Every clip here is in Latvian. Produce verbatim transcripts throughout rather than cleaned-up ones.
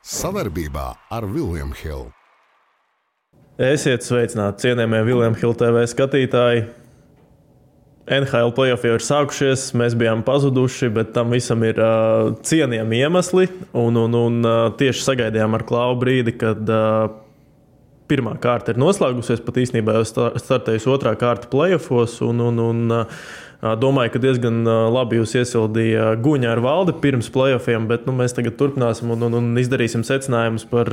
Sadarbībā ar William Hill. Esiet sveicināti, cienījamie William Hill T V skatītāji. N H L play-off jau ir sākušies, mēs bijām pazuduši, bet tam visam ir uh, cienījami iemesli. Un, un, un uh, tieši sagaidījām ar Klau brīdi, kad uh, pirmā kārta ir noslēgusies, pat īstenībā jau startējusi otrā kārta play-offos. Un, un, un, uh, domāju, ka diezgan labi jūs iesildīja Guņa ar Valdi pirms play-offiem, bet nu, mēs tagad turpināsim un, un, un izdarīsim secinājumus par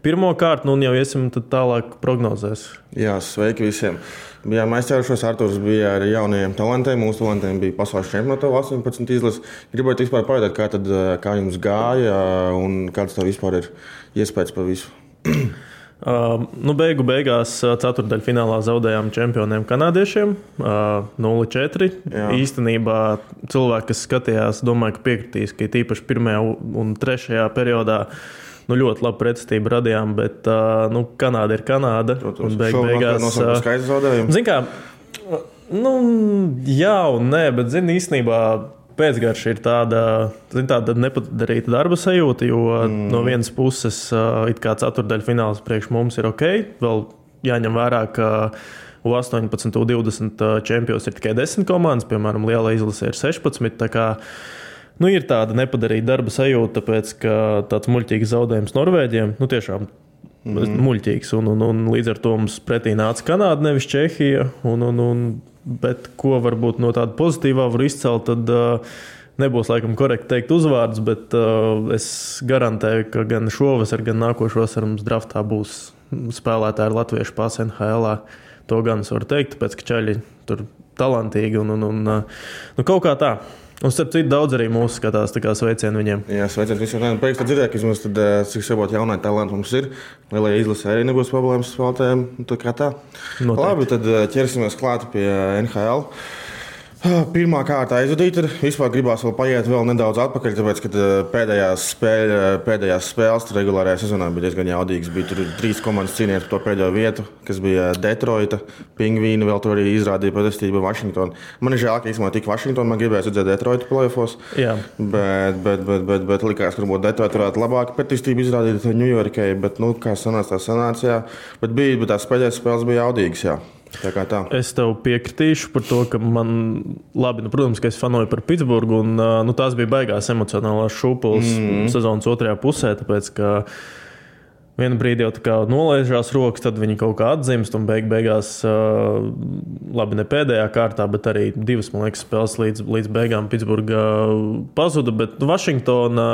pirmo kārtu, nu, un jau iesim tālāk prognozēs. Jā, sveiki visiem. Bijām aizķērušos, Arturs bija ar jaunajiem talantiem, mūsu talantiem bija pasaules čempionāta astoņpadsmit izlases. Gribētu vispār pajautāt, kā, tad, kā jums gāja un kāds tev vispār ir iespējas par visu? Uh, nu, beigu beigās ceturtdaļfinālā zaudējām čempioniem kanādiešiem uh, nulle četri. Jā. Īstenībā cilvēki, kas skatījās, domāju, ka piekritīs, ka tīpaši pirmajā un trešajā periodā nu, ļoti labu pretestību radījām, bet uh, nu, Kanāda ir Kanāda. Un beigu beigās nosaukt skaidrs zaudējumu. Zin kā, nu, jā un nē, bet zin īstenībā pēcgarša ir tāda, tāda nepadarīta darba sajūta, jo mm. no vienas puses it kā ceturtdaļfināls priekš mums ir ok. Vēl jāņem vērā, ka U astoņpadsmit, U divdesmit čempions ir tikai desmit komandas, piemēram, lielā izlase ir sešpadsmit. Tā kā nu, ir tāda nepadarīta darba sajūta, tāpēc, ka tāds muļķīgs zaudējums Norvēģiem, nu tiešām mm. muļķīgs. Un, un, un līdz ar to mums pretī nāca Kanāda, nevis Čehija. Un, un, un, bet ko varbūt no tāda pozitīvā var izcelt, tad uh, nebūs laikam korekti teikt uzvārdus, bet uh, es garantēju, ka gan šovasar, gan nākošovasar mums draftā būs spēlētāji latviešu pās N H L-ā. To gan es varu teikt, tāpēc, ka čaļi tur talantīgi un, un, un uh, nu, kaut kā tā. Un starp citu daudz arī mūsu skatās, tā kā sveicienu viņiem. Jā, sveicienu visiem. Pēc tam dzirdēju, ka vismaz tad, cik sabot jaunai talanti mums ir. Lielajā izlasē arī nebūs problēmas spēlētājiem. Tā kā tā. Noteikti. Labi, tad ķersimies klāt pie N H L. Pirmā kārta aizvadīta. Vispār gribās vēl paiet vēl nedaudz atpakaļ, tāpēc, ka pēdējās, spēļ, pēdējās spēles regulārajā sezonā bija diezgan jaudīgas. Bija tur trīs komandas cīnījās par to pēdējo vietu, kas bija Detroita, Pingvīni, vēl tur arī izrādīja pretestību Vašingtonu. Man ir žēl, ka īstenībā tik Vašingtonu, man gribēja redzēt Detroita play-offos, bet, bet, bet, bet, bet likās, ka varbūt Detroita varētu labāk pretestību izrādīt Ņujorkai, bet, nu, kā sanāca, tā sanāca, jā. Bet bija, bet tās pēdējās spēles bija jaudīgas, jā. Tā kā tā. Es tev piekritīšu par to, ka man labi, nu, protams, ka es fanoju par Pitsburgu, un nu, tās bija baigās emocionālās šūpules mm. sezonas otrajā pusē, tāpēc, ka vienu brīdi jau tā kā nolaižās rokas, tad viņi kaut kā atzimst, un beig beigās, labi, ne pēdējā kārtā, bet arī divas, man liekas, spēles līdz, līdz beigām Pitsburga pazuda, bet nu, Vašingtona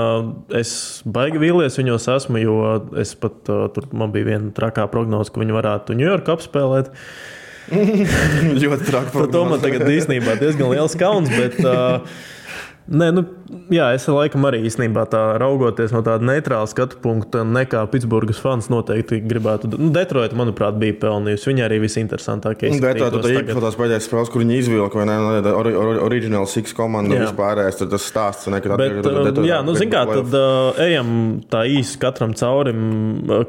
es baigi vīlies viņos esmu, jo es pat, tur man bija viena trakā prognoze, ka viņi varētu Ņujorku apspēlēt. Ļoti traki. Par to man tagad īstenībā diezgan liels kauns, bet uh, nē, nu, jā, es laikam arī īstenībā tā raugoties no tāda neitrāla skatu punkta, nekā Pitsburgas fans noteikti gribētu. Nu, Detroita, manuprāt, bija pelnījusi. Viņa arī visinteresantākie. Detroita tā īpaši tās pēdējās spēles, kur viņi izvilka, vai ne, or, or, original six komanda vispārējais, tad tas stāsts nekad atgriežot. Jā, nu, zin kā, tad uh, ejam tā īsi katram caurim,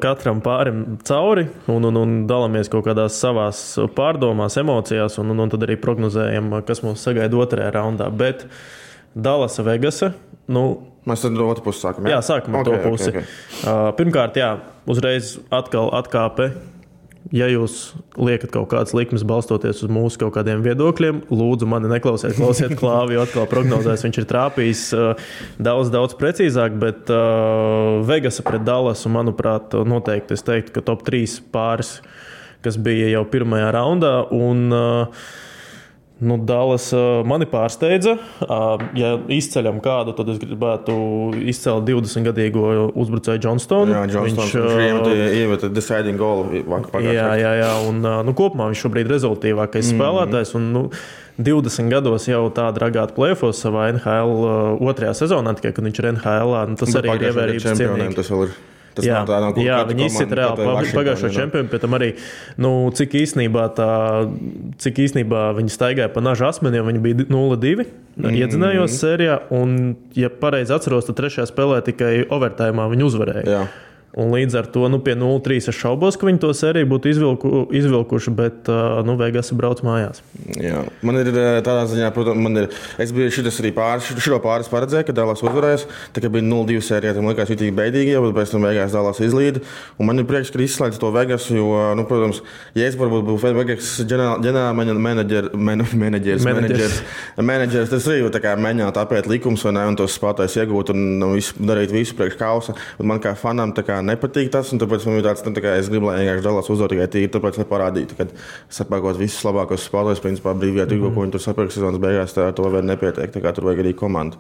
katram pārim cauri un, un, un dalamies kaut kādās savās pārdomās, emocijās un, un, un tad arī prognozējam, kas mūs sagaida otrajā raundā. Bet Dallasa, Vegasa. Nu, mēs tad otru pusi sākam. Jā, jā sākam ar okay, to pusi. Okay, okay. Uh, pirmkārt, jā, uzreiz atkal atkāpe. Ja jūs liekat kaut kādas likmes balstoties uz mūsu kaut kādiem viedokļiem, lūdzu mani neklausiet, klausiet Klāvi, jo atkal prognozēs viņš ir trāpījis uh, daudz, daudz precīzāk, bet uh, Vegasa pret Dallasu, manuprāt, noteikti es teiktu, ka top trīs pāris, kas bija jau pirmajā raundā, un uh, Nu, Dallas uh, mani pārsteidza. Uh, ja izceļam kādu, tad es gribētu izcelt divdesmitgadīgo uzbrucēju Johnstonu. Jā, Johnstons, viņš uh, ieveta deciding goal pagājušajā. Jā, jā, jā, un uh, nu, kopumā viņš šobrīd rezultīvākais mm. spēlētājs. Un, nu, divdesmit gados jau tāda ragāta play-offos savā N H L uh, otrajā sezonā, tikai kad viņš ir N H L-ā, nu, tas arī ir ievērības cienīgi. Tas vēl ir. Tas jā, nav tā, nav jā viņi izsit reāli pagājušo čempionu, pēc tam arī, nu, cik īstenībā tā, cik īstenībā viņi staigāja pa naža asmeniem, viņi bija nulle divi, mm. iedzinājos sērijā, un, ja pareizi atceros, tad trešajā spēlē tikai overtājumā viņi uzvarēja. Jā. Un līdz ar to nu, pie nulle trīs es šaubos, ka viņi to sēriju būtu izvilku, izvilkuši, bet nu, Vegas brauc mājās. Jā, man ir tādā ziņā, protams, man ir, es biju šitas arī pāris, šito pāris paredzēju, ka Dallas uzvarēs, tā kā bija nulle divi sērija, tam likās jutīgi beidīgi, bet pēc tam Vegas Dallas izlīda. Un man ir prieks, ka izslēdz to Vegas, jo, nu, protams, ja es varbūt būtu Vegas ģenerāla menedžers, menedžers, menedžers, menedžers, tas arī tā kā mēģināt apiet likums vai ne, un tos spēlētājus iegūt un nu, visu, darīt visu priekš kausa. Un man kā fanam tā kā nepatīk tas, un tāpēc man ir tāds, nu, tā kā es gribu, lai vienkārši Dallas uzdod tikai tīri, tāpēc, lai parādītu, kad sapērkot visus labākos spēlētājus, principā brīvajā tirgu, ko viņi tur sapērk sezonas beigās, tā to vēl nepietiek, tā kā tur vajag arī komandu.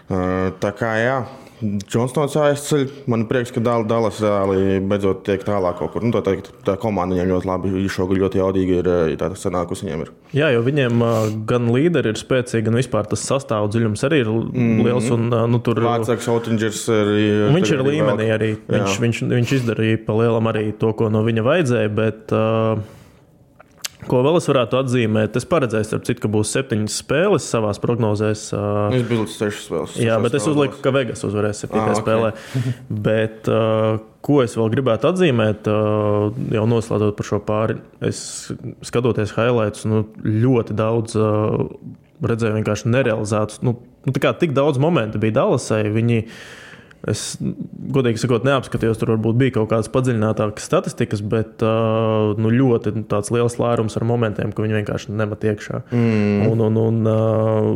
Uh, tā kā, jā, Johnstons aizceļ, man prieks, ka Dallas reāli beidzot tiek tālāk kaut kur. Nu, tā, tā, tā komanda viņiem ļoti labi, šogad ļoti jaudīgi ir tā sanākus viņiem ir. Jā, jo viņiem gan līderi ir spēcīgi, gan vispār tas sastāvu dziļums arī ir liels. Un, nu, tur... Vācāks Oettingers arī... Viņš ir līmenī arī. Viņš, viņš, viņš izdarīja pa lielam arī to, ko no viņa vajadzēja, bet... Uh... Ko vēl es varētu atzīmēt? Es paredzēju, starp citu, ka būs septiņas spēles savās prognozēs. Es biju līdz sešas spēles. Jā, bet es uzliku, ka Vegas uzvarēs septītajā ah, spēlē. Okay. Bet ko es vēl gribētu atzīmēt, jau noslēdzot par šo pāri, es skatoties highlights, nu, ļoti daudz redzēju vienkārši nerealizētus. Nu, tā kā tik daudz momentu bija Dallasai, viņi... Es, godīgi sakot, neapskatījos, tur varbūt bija kaut kādas padziļinātākas statistikas, bet uh, nu, ļoti tāds liels lērums ar momentiem, ka viņi vienkārši nemat iekšā. Mm. Un, un, un uh,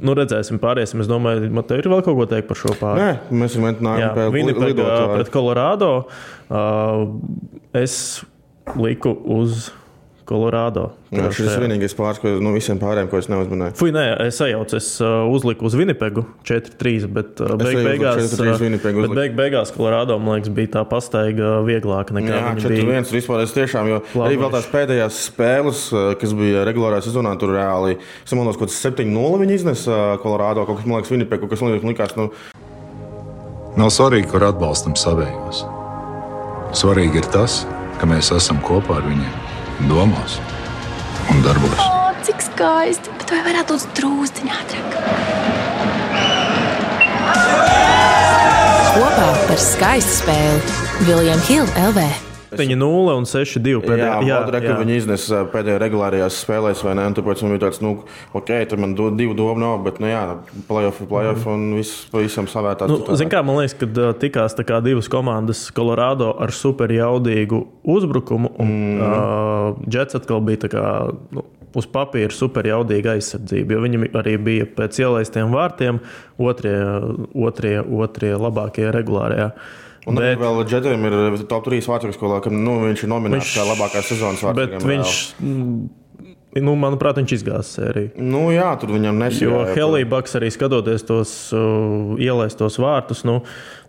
nu, redzēsim, pāriesim. Es domāju, man te ir vēl kaut ko teikt par šo pāri. Nē, mēs vienmēr nākam pēc Winnipega pret Colorado. Uh, es liku uz Colorado. Jā, šis ir vienīgais pāris, ko no visiem pārējiem, ko es neuzmanēju. Fui, nē, es sajaucu, es uh, uzliku uz Winnipegu četri trīs, bet uh, beig beigās, bet beig beigās Colorado, man liekas, bija tā pastaiga vieglāka nekā jā, viņa bija. Jā, četri viens vispār es tiešām, jo Labi. Arī vēl tās pēdējās spēles, kas bija regulārā sezonā, tur reāli, es manos, kaut kas septiņi nulle viņi iznes Colorado, kaut kas, man liekas, Winnipegu, kas man likās, nu... Nav svarīgi, kur atbalstam savējos. Svarīgi ir tas, ka mēs esam kopā ar viņiem. Domās un darbos. O, cik skaisti, bet vai varētu būt drūzdiņā ātrāk? Kopā par skaistu spēli William Hill L V. septiņi nulle un seši divi pēdējā. Jā, jā, jā. Viņi iznes pēdējā regulārajās spēlēs, vai ne? Un tāpēc man bija tāds, nu, ok, tur man do, divu domu nav, bet, nu jā, playoff, playoff un viss pavisam savērtās. Nu, zin kā, man liekas, kad tikās tā kā divas komandas Colorado ar super jaudīgu uzbrukumu, un mm. uh, Jets atkal bija tā kā, nu, uz papīra super jaudīga aizsardzība, jo viņi arī bija pēc ielaistiem vārtiem otrie, otrie, otrie labākie regulārajā. Un bet, vēl Džetiem ir top trīs vārtsargs skolā, ka nu, viņš ir nominēts kā labākais sezonas vārtsargam. Bet viņš, nu, manuprāt, viņš izgāza sēriju. Nu jā, tur viņam nesīja. Jo Helībaks arī skatoties tos uh, ielaistos vārtus, nu,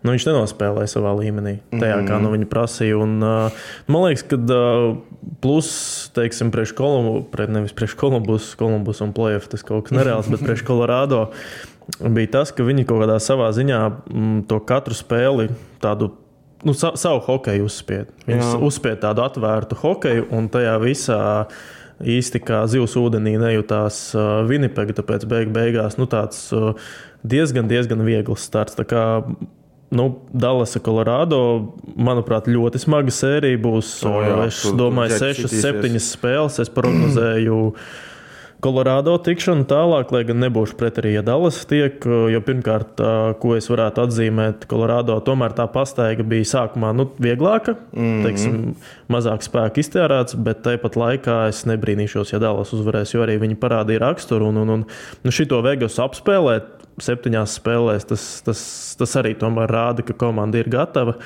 nu viņš nenospēlēja savā līmenī, tajā mm-hmm. kā nu viņa prasīja. Un, uh, man liekas, ka uh, plus, teiksim, priekš Kolumbu, pret nevis priekš Kolumbus, Kolumbus un playoff, tas kaut kas nereāls, bet priekš Colorado bija tas, ka viņi kaut kādā savā ziņā m, to katru spēli tādu, nu, sa, savu hokeju uzspied. Viņi uzspied tādu atvērtu hokeju, un tajā visā īsti kā zivs ūdenī nejūtās uh, Winnipega, tāpēc beig beigās, nu, tāds uh, diezgan, diezgan viegls starts. Tā kā, nu, Dallasa, Colorado, manuprāt, ļoti smaga sērija būs. O, jā, es tu, domāju, tu, sešas, septiņas spēles. Es prognozēju Colorado tikšanu tālāk, lai gan nebūšu pret arī, ja Dallas tiek, jo pirmkārt, ko es varētu atzīmēt, Colorado tomēr tā pastaiga bija sākumā, nu, vieglāka, mm-hmm. teiksim, mazāk spēku iztērēts, bet tāpat laikā es nebrīnīšos, ja Dallas uzvarēs, jo arī viņi parādīja raksturu un, un, un nu, šito Vegas apspēlēt septiņās spēlēs, tas, tas, tas arī tomēr rāda, ka komanda ir gatava,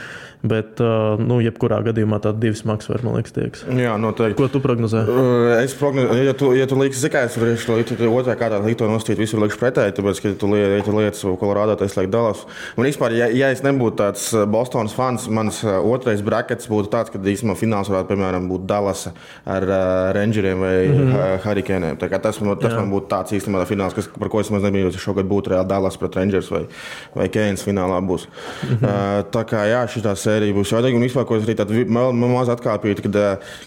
bet, nu, jebkurā gadījumā tāda divi smags var, man liekas, tieks. Jā, noteikti. Ko tu prognozē? Es prognozēju, ja tu, ja tu liekas zikājs, varēšu otrā kārtā likt to nostīt, visur liekas pretēji, tāpēc, ka tu lieti, ja tu lietas Colorado, tas liek Dallas. Un vispār, ja, ja es nebūtu tāds Bostonas fans, mans otrais brackets būtu tāds, ka īstenībā fināls varētu, piemēram, būt Dallasa ar uh, Rangeriem vai mm-hmm. Hurricaniem. Tā kā tas, tas man būtu tāds īstenībā fināls, kas, par ko es maz nebiju šogad būtu reāli Dallas pret Rangers vai, vai Canes finālā būs. Mm-hmm. Uh, tā kā jā, šitā sērija būs jaudīga un vispār, ko es arī tādu maz atkāpīju, kad,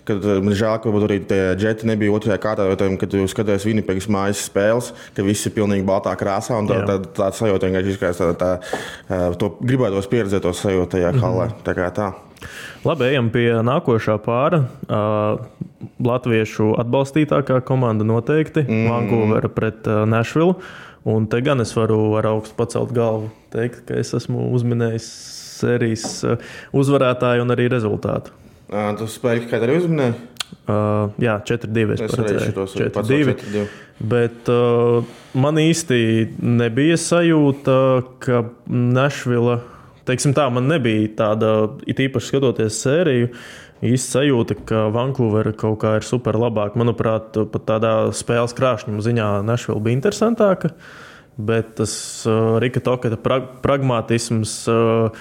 kad man žēl, ka arī tie džeti nebija otrajā kārtā, kad tu skaties Winnipegas mājas spēles, ka viss ir pilnīgi baltā krāsā un tā, tā, tā, tā sajūta vienkārši izskatās tā, tā, tā, to gribētos pieredzēt to sajūtu tajā hallē. Mm-hmm. Tā kā tā. Labi, ejam pie nākošā pāra. Uh, Latviešu atbalstītākā komanda noteikti. Mm. Vancouver pret uh, Nashville. Un te gan es varu ar augstu pacelt galvu teikt, ka es esmu uzminējis sērijas uh, uzvarētāju un arī rezultātu. Uh, tu spēļi, kā arī uzminēji? Uh, jā, četri divi es paredzēju. četri divi. Bet uh, man īsti nebija sajūta, ka Nashville... Teiksim tā, man nebija tāda, it īpaši skatoties sēriju, īsti sajūta, ka Vancouver kaut kā ir super labāk. Manuprāt, pat tādā spēles krāšņuma ziņā Nashville bija interesantāka, bet tas uh, Rika Toketa pra- pragmatisms uh,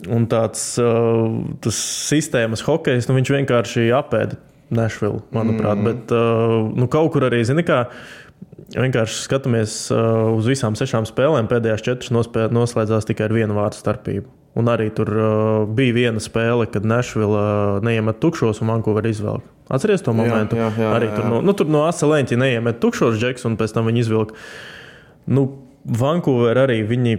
un tāds uh, tas sistēmas hokejs, nu viņš vienkārši apēda Nashville, manuprāt. Mm. Bet uh, nu, kaut kur arī, zini kā, vienkārši skatāmies uh, uz visām sešām spēlēm. Pēdējās četras nospēl, noslēdzās tikai ar vienu vārdu starpību. Un arī tur uh, bija viena spēle, kad Nashville uh, neiemet tukšos un Vancouver izvelk. Atceries to momentu? Jā, jā, jā, arī jā. Tur no, nu, tur no asa leņķa neiemet tukšos džeks un pēc tam viņi izvilk. Nu, Vancouver arī viņi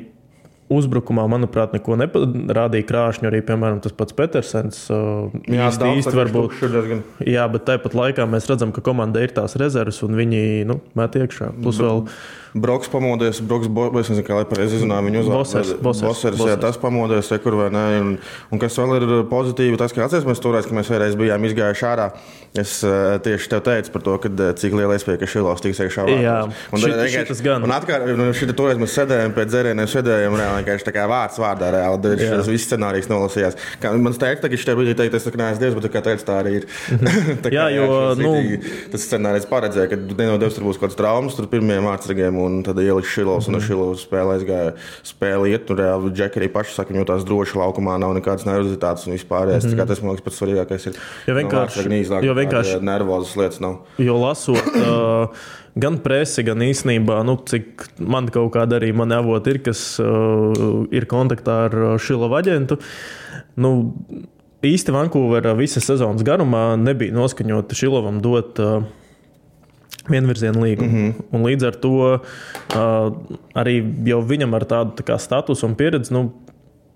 uzbrukumā, manuprāt, neko neparādīja krāšņu. Arī, piemēram, tas pats Petersens uh, jā, īsti, īsti varbūt. Diezgan... Jā, bet tāpat laikā mēs redzam, ka komandai ir tās rezerves un viņi nu, met iekšā. Plus vēl... Broks pamodies, Broks, bo, es nezinu, kā lai pareizi izrunāju viņu uzvārdu. Bosers, Bosers, Bosers, Bosers. Jā, tas pamodies, kur vai ne. Un, un kas vēl ir pozitīvi, tas, ka atceries mēs toreiz, ka mēs vēlreiz bijām izgājuši ārā. Es uh, tieši tev teicu par to, kad, cik liela iespēja, ka Šilovs tiks iekšā vārtos. Jā, un, šit, šitas gan. Un atkal, šita toreiz mēs sēdējām pēc dzērieniem, sēdējām reāli, vienkārši tā kā vārds vārdā reāli. Šis viss scenārijs nolasījās. Kā, man teikt, ka šitā brīdī teikt, es tā kā neesmu Dievs, bet kā teicu, tā arī ir. tā kā, jā, jo, jā, nu... Tas scenārijs paredzēja, ka nenodevs tur būs kāds traumas, tur pirmajiem vārdsargiem un tad ieliks Šilovs un ar Šilovs spēlē aizgāja spēli iet. Tur reāli Džeki arī paši saka, viņi jūtās droši laukumā, nav nekādas nervozitātes un vispārējais. Mm-hmm. Tas, man liekas, pats svarīgākais ir. Jo vienkārši, no jo vienkārši nervozas lietas nav. Jo lasot uh, gan presi, gan īstenībā, nu, cik man kaut kāda arī mani avoti ir, kas uh, ir kontaktā ar Šilovu aģentu, nu, īsti Vancouver visas sezonas garumā nebija noskaņota Šilovam dot uh, vienvirzienu līgumu. Mm-hmm. Un līdz ar to uh, arī jau viņam ar tādu tā kā statusu un pieredzi, nu,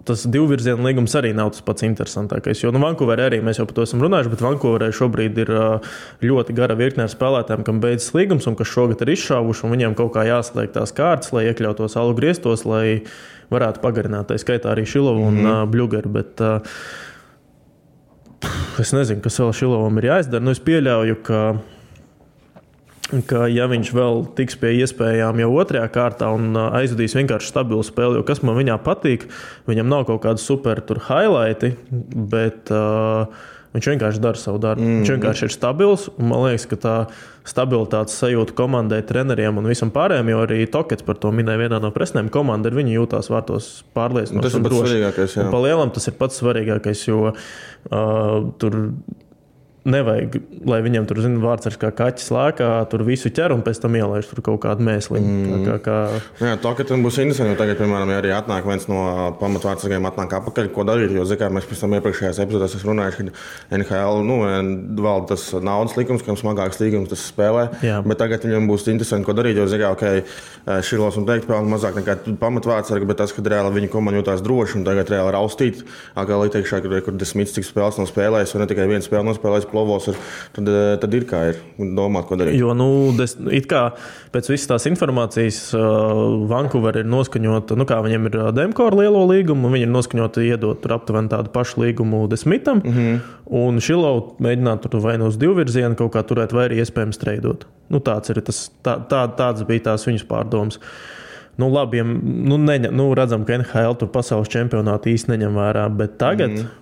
tas divvirzienu līgums arī nav tas pats interesantākais. Jo nu, Vancouverē arī mēs jau par to esam runājuši, bet Vancouverē šobrīd ir uh, ļoti gara virkne ar spēlētājiem, kam beidzas līgums un kas šogad ir izšāvuši, un viņiem kaut kā jāslēg tās kārtas, lai iekļautos alu griestos, lai varētu pagarināt. Tā skaitā arī Šilovu un mm-hmm. uh, Bļugeru. Bet, uh, es nezinu, kas vēl Šilovam ir jāizdara. Nu, es pieļauju, ka ka ja viņš vēl tiks pie iespējām jau otrajā kārtā un aizvadīs vienkārši stabilu spēli, jo kas man viņā patīk, viņam nav kaut kādi super tur highlighti, bet uh, viņš vienkārši dara savu darbu. Mm-hmm. Viņš vienkārši ir stabils, un man liekas, ka tā stabilitātes sajūta komandai, treneriem un visam pārējiem, jo arī Tokets par to minēja vienā no presnēm, komanda ir viņi jūtās vārtos pārliecinoši. Tas ir pats svarīgākais, jā. Un pa lielam tas ir pats svarīgākais, jo uh, tur nevajag, lai viņiem tur, zina, vārds ar kā kaķis lēkā, tur visu ķer un pēc tam ielaiž tur kaut kādu mēsliņu. Mm. Kā, kā... Jā, to, ka tam būs interesanti, jo tagad, piemēram, ja arī atnāk viens no pamatvārdsargiem atnāk apakaļ, ko darīt, jo, zikā, mēs pēc tam iepriekšējās epizodēs esam runājuši, ka N H L, nu, valda tas naudas likums, kam smagāks līgums tas spēlē, jā. Bet tagad viņam būs interesanti, ko darīt, jo, zikā, ok, Šilovs un teikt, pelna mazāk nekā pamatvārdsargi, bet tas, kad reāli viņi komanda jūtās droši un tagad reāli raustīt, atkal ieteikšā, kur, kur desmit cik spēles nav spēlējis, vai ne tikai viena spēle nav spēlējis plovos, ir, tad, tad ir kā ir domāt, ko darīt. Jo, nu, des, it kā pēc visas tās informācijas uh, Vancouver ir noskaņota, nu kā viņiem ir Demkora lielo līgumu, viņi ir noskaņoti iedot tur aptuveni tādu pašu līgumu desmitam, mm-hmm. un Šilovu mēģināt tur vai no uz divvirzienu kaut kā turēt, vai arī iespējams treidot. Nu, tāds ir tas, tā, tā, tāds bija tās viņas pārdomas. Nu, labi, ja, nu, neņem, nu, redzam, ka N H L tur pasaules čempionāti īsti neņem vērā, bet tagad mm-hmm.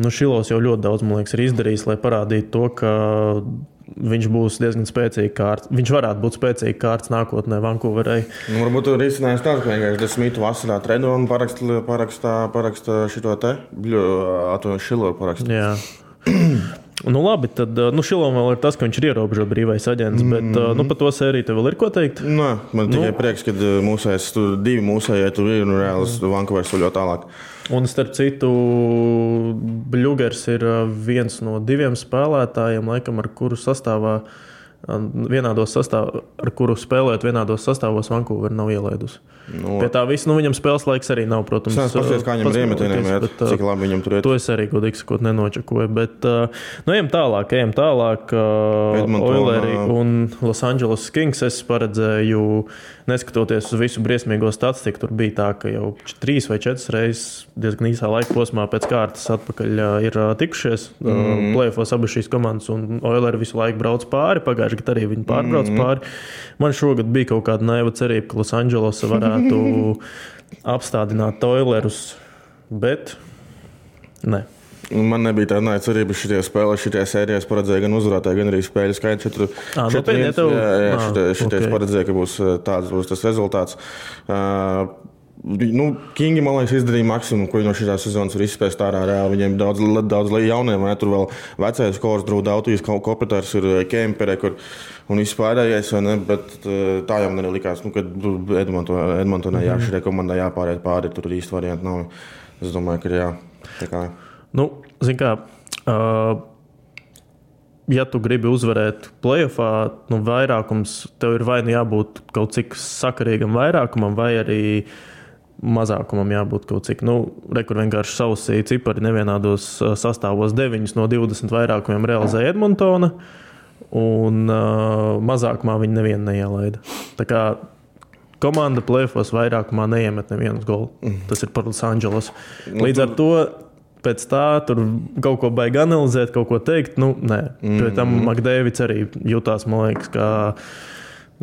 Nu, Šilovs jau ļoti daudz, man liekas, ir izdarījis, lai parādītu to, ka viņš būs diezgan spēcīgs kārts. Viņš varētu būt spēcīgs kārts nākotnē Vancouverei. Nu, varbūt tur ir izcinājums tāds, ka vienkārši desmitu vasarā treno un paraksta, paraksta, paraksta šito te, bļu, ato Šilovu paraksta. Jā. Nu, labi, tad nu, Šilovam vēl ir tas, ka viņš ir ierobežot brīvais aģents, bet mm-hmm. nu, par to sēriju tev vēl ir ko teikt? Nē, man tikai nu, prieks, ka mūsējais, tur divi mūsējai tur ir un reāls Vancouveras soļo tālāk. Un starp citu, Bļugers ir viens no diviem spēlētājiem, laikam, ar kuru sastāvā, vienādos sastāv, ar kuru spēlēt vienādos sastāvos Vancouver nav ielaidusi. Nu, Pie tā viss, nu viņam spēles laiks arī nav, protams. Es paskatījos, kā viņam ir iemetiniem, bet, cik labi viņam tur iet. To es arī, godīgi sakot, nenočakoju, bet nu ejam tālāk, ejam tālāk. Oileri un Los Angeles Kings es paredzēju, neskatoties uz visu briesmīgo statistiku, tur bija tā, ka jau trīs vai četras reizes diezgan īsā laika posmā pēc kārtas atpakaļ ir tikušies. Mm. Play-offos abas šīs komandas un Oileri visu laiku brauc pāri, pagājuši gadu arī viņi pārbrauc mm. pāri. Man šogad bija kaut kāda naiva cerība, ka Los Angeles varētu apstādināt Oilerus, bet ne. Man nebija tāda naiva cerība šitie spēlē, šitie sērijās paredzēja gan uzvarētāji, gan arī spēļu skaits. Četru, à, četru viens, tev... jā, jā, à, šitie, šitie okay. paredzēja, ka būs tāds būs tas rezultāts. Uh, Nu, Kingi, man liekas, izdarīja maksimumu, ko viņi no šīs sezonas var izspēst ārā reāli. Viņiem daudz, daudz jauniem, vai ne? Tur vēl vecais Kors, Drūda Autijas, Kopeters, ir Kempere, kur un viss pārējais, vai ne? Bet tā jau man arī likās, nu, kad Edmontonai mm-hmm. jā, šitai komandai jāpāriet pāri, tur īsti varianti nav. Es domāju, ka jā. Tā kā... Nu, zin kā, uh, ja tu gribi uzvarēt play-offā, nu, vairākums, tev ir vai nu jābūt kaut cik sakarīgam vairākumam, vai arī mazākumam jābūt kaut cik. Nu, rekur vienkārši sausīja cipari nevienādos sastāvos deviņus no divdesmit vairākumiem realizēja Edmontona, un uh, mazākumā viņi nevienu neielaida. Tā kā komanda play-offos vairākumā neiemet nevienus golu. Tas ir par Los Angeles. Līdz ar to pēc tā tur kaut ko baigi analizēt, kaut ko teikt, nu, nē. Pēc tam McDavids arī jutās, man liekas, kā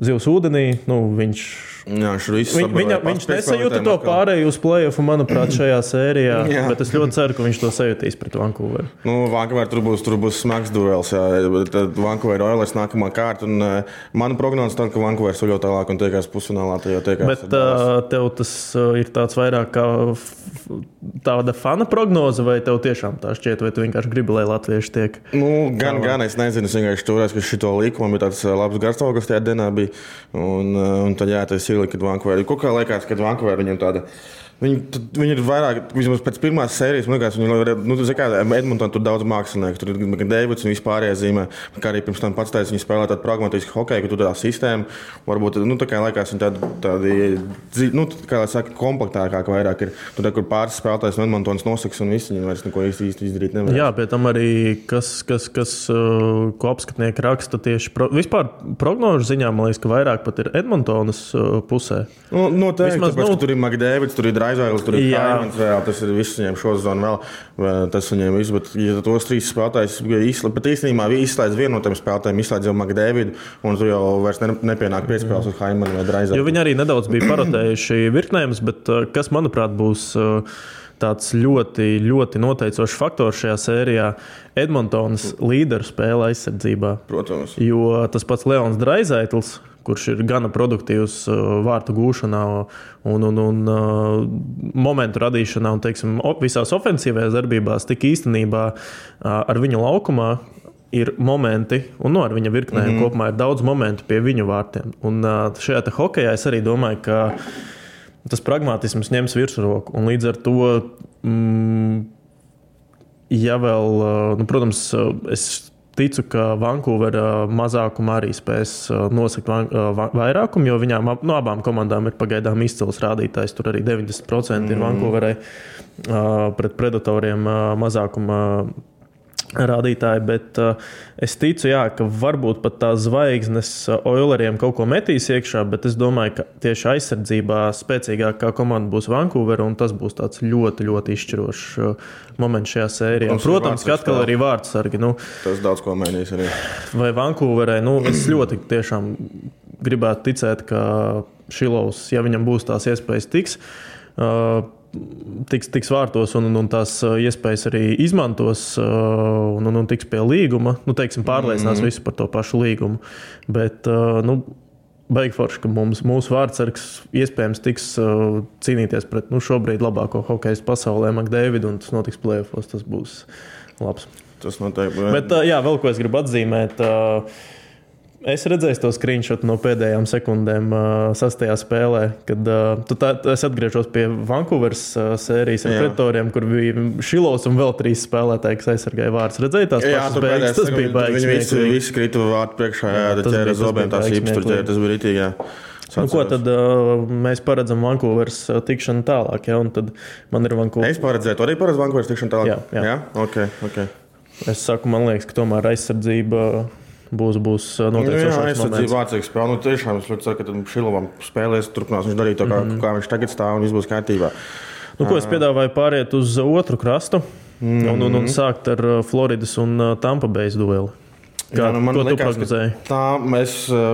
zivs ūdenī, nu, viņš... Jā, Viņ, viņa, viņš nesajūta to pārēju uz play-offu, manuprāt, šajā sērijā, jā. Bet es ļoti ceru, ka viņš to sajūtīs pret Vancouveru. Nu, Vancouver tur būs, tur būs smags duels, jā, tad Vancouver Oilers nākamā kārta, un uh, mana prognoze tā, ka Vancouver soļo tālāk un tiekās pusfinālā, tā jau tiekās. Bet uh, tev tas uh, ir tāds vairāk kā f- tāda fana prognoze, vai tev tiešām tā šķiet, vai tu vienkārši gribi, lai latvieši tiek? Nu, gan, tālāk. gan, es nezinu, es vienkārši turēs, ka šito līkumu bija tāds labs garstāvoklis tajā dienā bija, un, un tad jā, tas ir, kad Vancouver, kaut kā liekas, kad Vancouver viņam tāda, viņi, viņi ir vairāk, vismaz pēc pirmās sērijas, man liekas, viņi, nu, tu zini kā, Edmonton tur daudz mākslinieku, tur ir Davids un vispārējā zīmē, kā arī pirms tam pats teica, viņi spēlē tādu pragmatisku hokeju, ka tur tā sistēma, varbūt, nu, tā kā liekas, viņi tādi, tādi, nu, kā lai saka, komplektākāk vairāk ir, tur, kur pāris spēlētājs no Edmontons nosaks un visi, viņi vairs neko īsti, īsti izdarīt nevar. Jā, pie tam arī, kas, kas, kas ko apskatnieki raksta tieši, pro, vispār prognožu ziņā, man liekas, ka vairāk pat ir Edmontonas pusē. Nu, noteikti, Vismaz, tāpēc, nu, ka tur ir McDavids, tur ir Draizailis, tur ir Kaimans, vēl, tas ir viss viņiem šo zonu vēl, tas viņiem viss, bet ja tos trīs spēlētājs izslēdz, bet īstenībā izslēdz vienu no tiem spēlētājiem, izslēdz jau McDavidu, un tur jau vairs ne, nepienāk piespēles uz Kaimanu vai Draizailu. Jo viņi arī nedaudz bija parotējuši virknējumus, bet kas, manuprāt, būs tāds ļoti, ļoti noteicošs faktors šajā sērijā – Edmontonas līderu spēle aizsardzībā. Protams. Jo tas pats Leons Draisaitls, kurš ir gana produktīvs vārtu gūšanā un, un, un momentu radīšanā un, teiksim, visās ofensīvajās darbībās, tik īstenībā ar viņu laukumā ir momenti, un no ar viņa virknēm mm-hmm. kopumā ir daudz momentu pie viņu vārtiem. Un šajā te hokejā es arī domāju, ka tas pragmatisms ņems virsroku, un līdz ar to, mm, ja vēl, nu, protams, es ticu, ka Vancouvera mazākumā arī spēs nosakt vairākumu, jo viņām no abām komandām ir pagaidām izcils rādītājs. Tur arī deviņdesmit procenti ir Vancouverai pret Predatoriem mazākuma rādītāji, bet uh, es ticu, jā, ka varbūt pat tās zvaigznes Oileriem kaut ko metīs iekšā, bet es domāju, ka tieši aizsardzībā spēcīgākā komanda būs Vancouvera, un tas būs tāds ļoti, ļoti izšķirošs uh, moments šajā sērijā. Protams, Protams ka atkal arī vārdsargi. Nu, tas daudz ko mainīs arī. Vai Vancouverai, nu, es ļoti tiešām gribētu ticēt, ka Šilovs, ja viņam būs tās iespējas tiks, uh, Tiks, tiks vārtos un, un tās iespējas arī izmantos un, un, un tiks pie līguma. Nu, teiksim, pārliecinās mm-hmm. visu par to pašu līgumu. Bet, nu, baigi forši, ka mums, mūsu vārdsargs iespējams tiks cīnīties pret, nu, šobrīd labāko hokejas pasaulē McDavidu, un tas notiks play-offos, tas būs labs. Tas noteikti. Bet, jā, vēl ko es gribu atzīmēt. Es redzēju to screenshot no pēdējām sekundēm sastajā spēlē, kad tu tā, es atgriežos pie Vancouveras sērijas ar pretoriem, kur bija Šilovs un vēl trīs spēlētāji, kas aizsargāja vārds. Redzēji tās jā, pašas beigas? Tas bija baigs. Viņi visi, visi krita vārdu priekšā, jā, jā ķēra zobiem tās īpas tur ķēra, tas bija ritīgi, jā. Nu, ko tad uh, mēs paredzam Vancouveras uh, tikšanu tālāk, ja? Un tad man ir Vancouveras. Es paredzēju, tu arī paredz Vancouveras tikšanu tālāk? Jā, jā. jā? Okay, okay. Es saku, man liekas, ka tomēr aizsardzība būs, būs noteikti jā, aizsardzība vārdsīgs spēle. Nu, tiešām es ļoti ceru, ka tad Šilovam spēlēs, turpinās viņš darīt to, kā, mm-hmm. kā viņš tagad stāv un viss būs kārtībā. Nu, ko es piedāvāju pāriet uz otru krastu mm-hmm. un, un, un sākt ar Floridas un Tampa Bays dueli. Kā, jā, nu, ko liekas, tu prognozēji? Tā mēs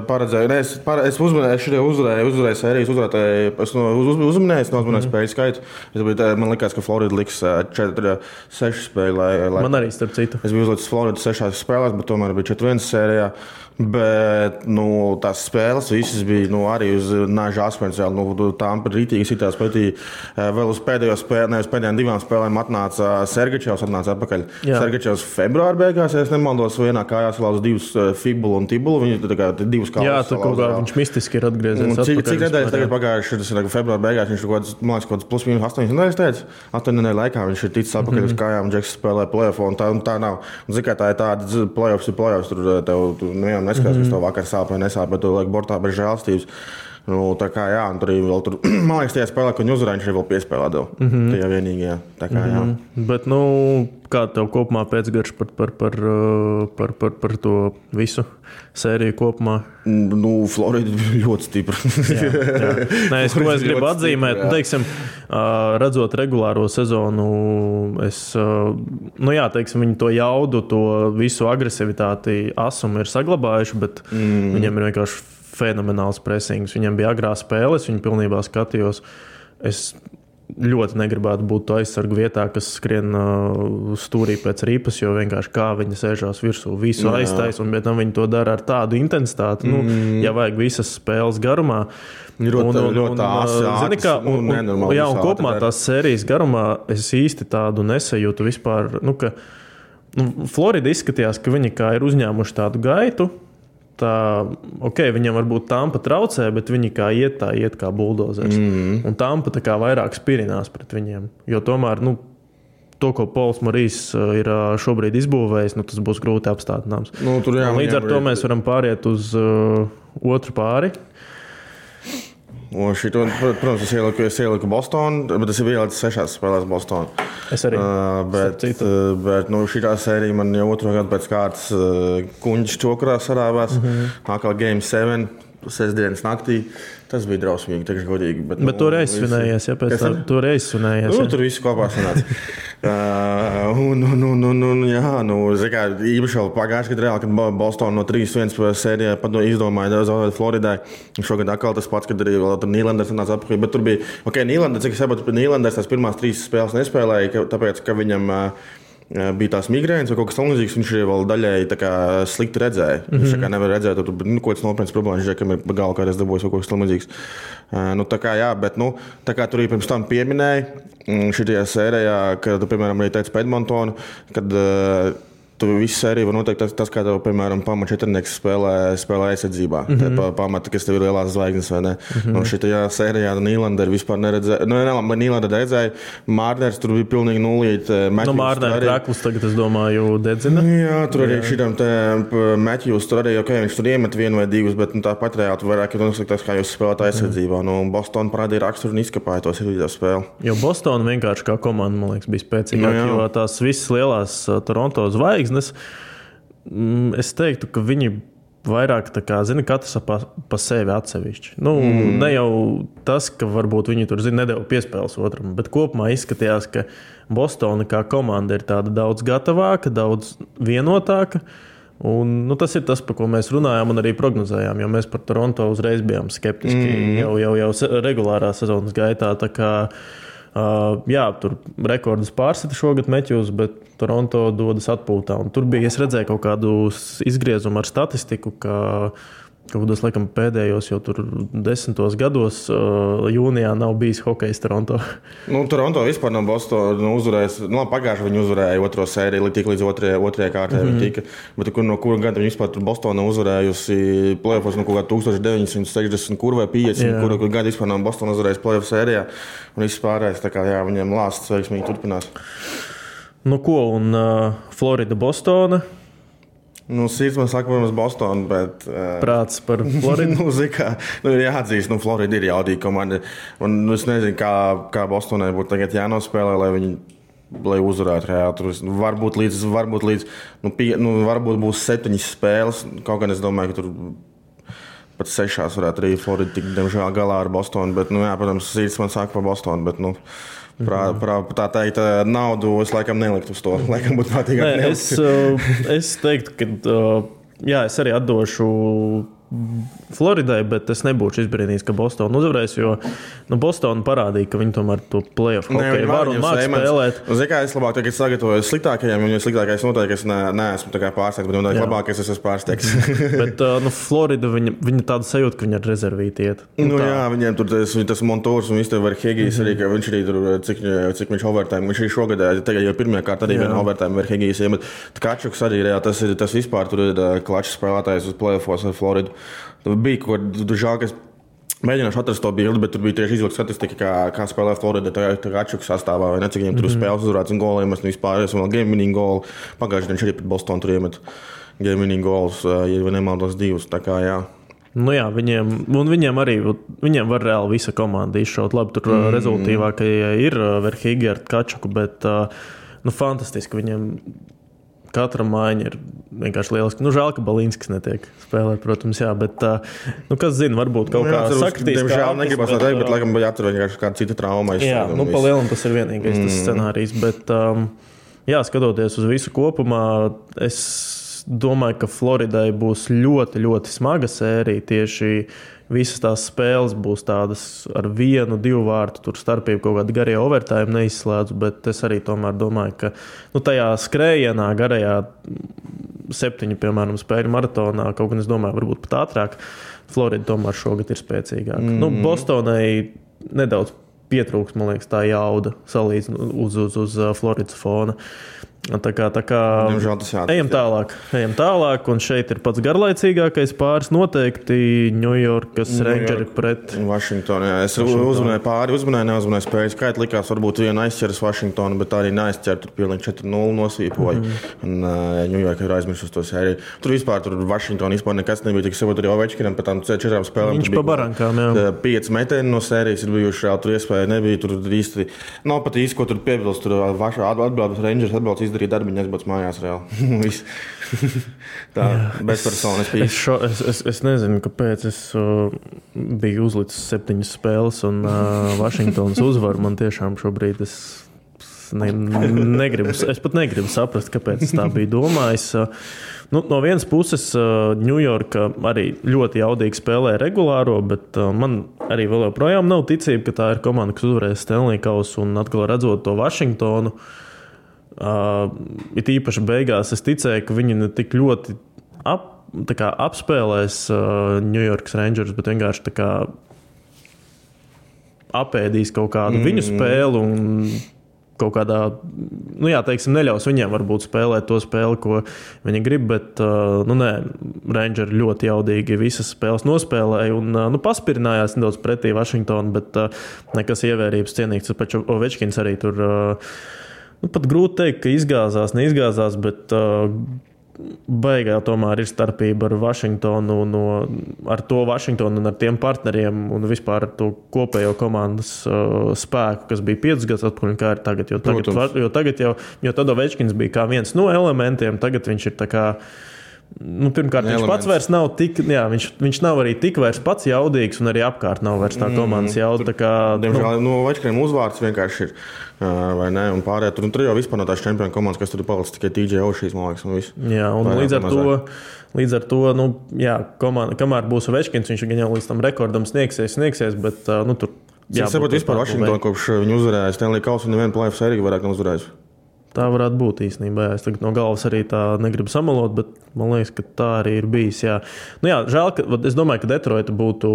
paredzēju. Ne, es, par, es uzmanēju, šodien uzvarēju, uzvarēju sērijas, uzvarēju, es uz, uz, uzmanēju, es neuzmanēju mm-hmm. spēļu skaitu. Es biju, man liekas, ka Florida liks četri seši spēļu. Lai, lai, man arī starp citu. Es biju uzlicis Florida sešās spēlēs, bet tomēr bija četri viens sērijā. Bet nu, tās spēles visas bija nu, arī uz nāža asmens. Nu, tām rītīgi sitās pretī. Vēl uz pēdējo spēli, ne uz pēdējām divām spēlēm atnāca Sergačevs, atnāca atpakaļ. Jā. Sergačevs februāra beigās, ja es nemaldos, vienā kājā salauza divus fibulu un tibulu. Viņi tā kā divus kājas. Jā, tā kaut kā viņš mistiski ir atgriezies. Cik, cik nedēļas tagad pagājuši, tas ir februāra beigās, viņš kaut kāds, man liekas, kaut kāds plus mīnus astoņas nedēļas teica. astoņu nedēļu laikā viņš ir ticis atpakaļ mm-hmm. uz kājām, Džeks spēlē play-offu, un tā, un tā nav. Un zikā tā ir tāda play-offs ir play-offs, tur tev, tu nevienam neskatās, mm-hmm. kas tev vakar sāp vai nesāp, bet tu liek bortā bez žēlstības. Nu, tā kā jā, un tur arī vēl tur, man liekas, tajā spēlē, ko viņi uzvarēja, viņš arī vēl piespēlē dev. Mm-hmm. Tajā vienīgajā, tā kā jā. Mm-hmm. Bet, nu, kā tev kopumā pēcgarš par, par, par, par, par, par to visu sēriju kopumā? Nu, Florida ļoti stipra. jā, jā. Nē, es, ko es gribu atzīmēt, stipra, teiksim, redzot regulāro sezonu, es, nu jā, teiksim, viņi to jaudu, to visu agresivitāti asumu ir saglabājuši, bet mm. viņiem ir vienkārši fenomenāls presings. Viņam bija agrā spēles, viņi pilnībā skatījos. Es ļoti negribētu būt to aizsargu vietā, kas skrien uh, stūrī pēc rīpas, jo vienkārši kā viņi sēžās virsū, visu aiztais, un bet tam viņi to dara ar tādu intensitāti, mm. nu, ja vajag visas spēles garumā. Ļoti, un, un, ļoti āsi, un, zini, kā, un, un, un, jā, un kopumā tās sērijas garumā es īsti tādu nesajūtu vispār, nu, ka nu, Florida izskatījās, ka viņi kā ir uzņēmuši tādu gaitu. Tā, ok, viņam varbūt Tampa traucē, bet viņi kā iet, tā iet kā buldozers. Mm-hmm. Un Tampa tā kā vairāk spirinās pret viņiem. Jo tomēr, nu, to, ko Pols Morijs ir šobrīd izbūvējis, nu, tas būs grūti apstātināms. Nu, tur jā, līdz ar to mēs varam pāriet uz uh, otru pāri. Un šito, protams, es ieliku, es ieliku Bostonu, bet es jau ieliku sešās spēlēs Bostonu. Es arī. Uh, bet uh, bet nu, šitā sērija man jau otro gadu pēc kārtas uh, kuņģis čokurā sarāvās. Mm-hmm. Atkal game seven, sestdienas naktī. Tas bija drausmīgi, teikšu godīgi. Bet, bet nu, tur aizsvinējies, ja pēc tā, tur aizsvinējies. Nu, tur viss kopā sanāca. uh, un, un, un, un, un, jā, nu, zikā, īpaši vēl pagājuši, kad reāli, kad Boston no trīs viens sērijā izdomāja zaudēt Floridai. Šogad atkal tas pats, kad arī vēl tur Nīlanders nāca atpakaļ. Bet tur bija, ok, Nīlanders, cik es saprotu, ka Nīlanders tās pirmās trīs spēles nespēlēja, tāpēc, ka viņam uh, bija tās migrēnas vai kaut kas tamlīdzīgs, viņš arī vēl daļēji tā kā slikti redzēja. Mm-hmm. Viņš tā kā nevar redzēt, tur nu, kaut kāds nopietns problēmas, viņš, ka ir galva kādreiz dabūjis vai kaut kas tamlīdzīgs. Uh, nu, tā kā jā, bet, nu, tā kā tur arī pirms tam pieminēja, šitajā sērijā, kad, piemēram, arī teica par Edmontonu, kad uh, tu visu sēriju var noteikt tas, tas kā tev, piemēram, pamat četrnieks spēlē, spēlē aizsardzībā. Mm-hmm. Te pamata, kas tev ir lielās zvaigznes, vai ne? Mm-hmm. Nu, šitajā sērijā Nīlander vispār neredzēja. Nu, ne, Nīlander redzēja. Mārners tur bija pilnīgi nulīt. Nu, Mārners krāklis tagad, es domāju, dedzina. Jā, tur arī šitam te Matthews, tur arī, ok, viņš tur iemet vienu vai divus, bet nu, tāpat reāli tu vairāk ir nosliktās, kā jūs spēlēt aizsardzībā. Mm-hmm. Nu, Boston parādīja raksturu un izkapāja tos video spēli. Jo Boston vienkārši kā komanda, man liekas, bija spēcīgāk, nu, jo tās visas lielās Toronto zvaigznes, es teiktu, ka viņi vairāk tā kā, zina, katrs pa, pa sevi atsevišķi. Nu, mm. ne jau tas, ka varbūt viņi tur, zina, nedeva piespēles otram, bet kopumā izskatījās, ka Bostona kā komanda ir tāda daudz gatavāka, daudz vienotāka. Un, nu, tas ir tas, par ko mēs runājām un arī prognozējām, jo mēs par Toronto uzreiz bijām skeptiski mm. jau, jau, jau regulārā sezonas gaitā. Tā kā, uh, jā, tur rekordus pārsita šogad Matthews, bet Toronto dodas atpūtā. Un tur bija, es redzēju kaut kādu izgriezumu ar statistiku, ka kaut kādos, laikam, pēdējos jau tur desmitos gados uh, jūnijā nav bijis hokejs Toronto. Nu, Toronto vispār nav Bostonu nu, uzvarējis. Nu, pagājuši viņi uzvarēja otro sēriju, tik līdz otrajai, otrajai kārtai mm-hmm. viņi tika. Bet kur, no kura gada viņi vispār tur Bostonu uzvarējusi playoffs no kaut kā tuksneša deviņsimt sešdesmit kur vai piecdesmit, kur, kur gada vispār nav Bostonu uzvarējis playoff sērijā. Un viss pārējais, tā kā jā, viņiem lāsts veiksmīgi turpinās. Nu ko, un uh, Florida, Bostona? Nu, sirds man saka, protams, Bostonu, bet... Uh, Prāts par Floridu? nu, zikā, nu, ir jāatzīst, nu, Florida ir jaudīga komanda. Un nu, es nezinu, kā, kā Bostonai būtu tagad jānospēlē, lai viņi lai uzvarētu reāli. Tur varbūt līdz, varbūt līdz, nu, pie, nu, varbūt būs septiņas spēles. Kaut gan es domāju, ka tur pat sešās varētu arī Florida tik, diemžēl, galā ar Bostonu. Bet, nu, jā, protams, sirds man saka par Bostonu, bet, nu... Prā, prā, tā teikt, naudu es laikam neliktu uz to. Laikam būtu prātīgāk nelikt. Es, es teiktu, ka jā, es arī atdošu Floridai, bet es nebūšu izbrīnījis, ka Bostonu uzvarēs, jo nu, Bostonu parādīja, ka viņi tomēr to playoff hokeju var un māk spēlēt. Zini, kā es labāk tagad sagatavojos sliktākajiem, un jo sliktākais noteikti es ne, neesmu tā kā pārsteigts, bet noteikti labākais es esmu pārsteigts. Bet nu, Florida, viņa, viņa tāda sajūta, ka viņa ar rezervīti iet. Nu, nu jā, viņiem tur tas, tas Montors un viss tev var Hegijs arī, ka viņš arī tur, cik, cik viņš overtime, viņš arī šogad, tagad jau pirmajā kārt arī viena overtime var Hegijs, bet Tkačuks arī, jā, tas ir, tas vispār tur ir klačs spēlētājs uz playoffos ar Floridu. Tur bija kaut kā žēl, ka es mēģināšu atrast to bildi, bet tur bija tieši izvilkta statistika, kā, kā spēlē Florida Tkačuks sastāvā, vai ne, cik viņiem tur mm-hmm. spēles uzvarēts un goliem, es vispār esmu vēl game winning golu. Pagājuši viņš arī pret Bostonu tur iemet game winning gols, ja nemaldos divus, tā kā jā. Nu jā, viņiem, un viņiem arī, viņiem var reāli visa komanda izšaut. Labi, tur mm. rezultīvākie ir Verhīgi ar Tkačuku, bet nu fantastiski viņiem... Katra mājiņa ir vienkārši lieliski. Nu, žēl, ka Balinskis netiek spēlēt, protams, jā, bet, nu, kas zina, varbūt kaut nu, jā, kā sakritīs. Diemžēl negribas bet, teikt, bet, laikam, jāatcer vienkārši kāda cita trauma. Jā, nu, pa lielam tas ir vienīgais mm. tas scenārijs, bet, um, jā, skatoties uz visu kopumā, es domāju, ka Floridai būs ļoti, ļoti smaga sērija tieši visas tās spēles būs tādas ar vienu, divu vārtu, tur starpību kaut kādu garie overtime neizslēdzu, bet es arī tomēr domāju, ka nu, tajā skrējienā, garajā septiņu, piemēram, spēļu maratonā, kaut gan es domāju, varbūt pat ātrāk, Florida tomēr šogad ir spēcīgāka. Mm-hmm. Nu, Bostonai nedaudz pietrūks, man liekas, tā jauda salīdzinot uz, uz, uz Floridas fona. Tā kā, tā kā ejam tālāk, ejam tālāk, un šeit ir pats garlaicīgākais pāris noteikti Ņujorkas Rangeri pret Vašingtonu. Jā. Es uzmanēju pāri, uzmanēju, neuzmanēju spēju skaitu, likās varbūt vienu aizķeras Vašingtonu, bet tā arī neaizķer, tur pilnīgi četri nulle nosvīpoja, mm-hmm. un uh, Ņujorka ir aizmirst uz to sēriju. Tur vispār, tur Vašingtonu vispār nekas nebija, tik savot arī Ovečkinam, pēc tām četrām spēlēm. Viņš pa barankām, jā. Pieci metieni no sērijas ir bijuši, jā, tur iespēja nebija, tur īsti, nav pat īsti, ko tur piebilst, tur atbildes Rangers atbildes darīt darbiņu, aizbauc mājās reāli. Tā, bezpersonas pīs. Es, šo, es, es, es nezinu, kāpēc es uh, biju uzlicis septiņas spēles un uh, Vašingtons uzvar. Man tiešām šobrīd es, ne, negribu, es pat negribu saprast, kāpēc es tā biju domājis. Uh, nu, no vienas puses Ņujorka uh, arī ļoti jaudīgi spēlē regulāro, bet uh, man arī vēl joprojām nav ticība, ka tā ir komanda, kas uzvarēs Stanley kausu un atkal redzot to Vašingtonu. Uh, it īpaši beigās es ticēju, ka viņi ne tik ļoti ap, tā kā apspēlēs uh, New York's Rangers, bet vienkārši tā kā apēdīs kaut kādu mm. viņu spēli un kaut kādā, nu jā, teiksim, neļaus viņiem varbūt spēlēt to spēli, ko viņi grib, bet, uh, nu nē, Rangeri ļoti jaudīgi visas spēles nospēlēja un, uh, nu, paspirinājās nedaudz pretī Vašingtonu, bet uh, nekas ievērības cienīgs. Tāpēc Ovečkins arī tur uh, Nu, pat grūti teikt, ka izgāzās, neizgāzās, bet uh, beigā tomēr ir starpība ar Vašingtonu, no, ar to Vašingtonu un ar tiem partneriem un vispār ar to kopējo komandas uh, spēku, kas bija piecus gadus atpakaļ, kā ir tagad. Jo tagad, var, jo tagad jau, jo tad Ovečkins bija kā viens no elementiem, tagad viņš ir tā kā Nu, pirmkārt, viņš pats vairs nav tik, jā, viņš, viņš nav arī tik vairs pats jaudīgs un arī apkārt nav vairs tā komandas jauda. Tā kā, diemžēl, nu, Ovečkinam uzvārds vienkārši ir, vai ne, un pārējā tur, un tur jau vispār no tās čempionu komandas, kas tur ir palicis tikai T J Oshijs, man liekas, un viss. Jā, un pārējā, līdz ar to, līdz ar to, nu, jā, komanda, kamēr būs Ovečkins, viņš gan jau līdz tam rekordam sniegsies, sniegsies, bet, nu, tur, jā. Es saprotu, vispār Vašingtonu, kopš viņu uzvarēja Stanley kausu, un nevienu playoff sēriju vairāk nav uzvarējis. Tā varētu būt īstenībā. Jā. Es tagad no galvas arī tā negribu samalot, bet man liekas, ka tā arī ir bijis. Jā. Nu jā, žēl, ka es domāju, ka Detroita būtu